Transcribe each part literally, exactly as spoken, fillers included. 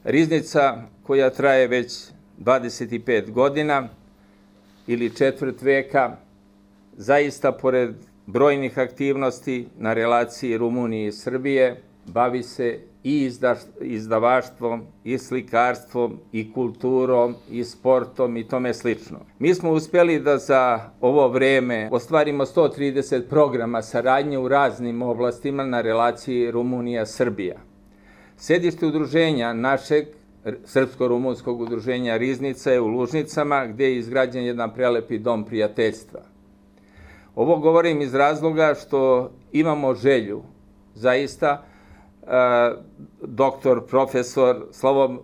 Riznica koja traje već dvadeset pet godina ili četvrt veka, zaista pored brojnih aktivnosti na relaciji Rumunije i Srbije, bavi se i izdavaštvom, i slikarstvom, i kulturom, i sportom i tome slično. Mi smo uspjeli da za ovo vreme ostvarimo sto trideset programa saradnje u raznim oblastima na relaciji Rumunija-Srbija. Sedište udruženja našeg Srpsko-rumunskog udruženja Riznica je u Lužnicama, gdje je izgrađen jedan prelepi dom prijateljstva. Ovo govorim iz razloga što imamo želju, zaista, doktor, profesor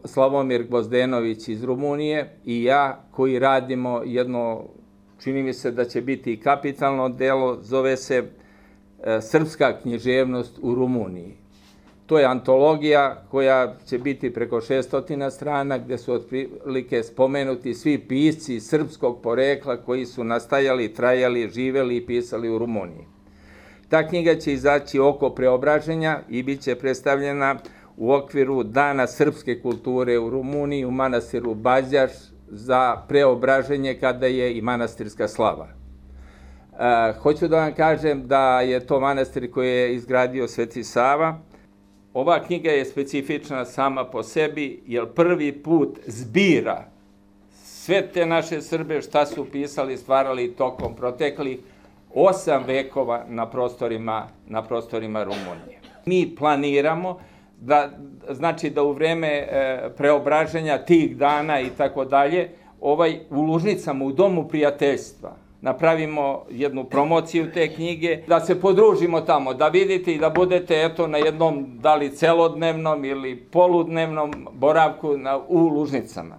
Slavomir Gvozdenović iz Rumunije i ja, koji radimo jedno, čini mi se da će biti i kapitalno delo, zove se Srpska književnost u Rumuniji. To je antologija koja će biti preko šessto strana, gdje su otprilike spomenuti svi pisci srpskog porekla koji su nastajali, trajali, živeli i pisali u Rumuniji. Ta knjiga će izaći oko Preobraženja i bit će predstavljena u okviru Dana srpske kulture u Rumuniji u manastiru Bazjaš za Preobraženje, kada je i manastirska slava. Hoću da vam kažem da je to manastir koji je izgradio Sveti Sava. Ova knjiga je specifična sama po sebi, jer prvi put zbira sve te naše Srbe šta su pisali, stvarali tokom proteklih osam vekova na prostorima, na prostorima Rumunije. Mi planiramo da, znači da u vreme e, preobraženja tih dana i tako dalje, ovaj, u Lužnicama, u Domu prijateljstva, napravimo jednu promociju te knjige, da se podružimo tamo, da vidite i da budete eto na jednom, da li celodnevnom ili poludnevnom boravku na, u Lužnicama.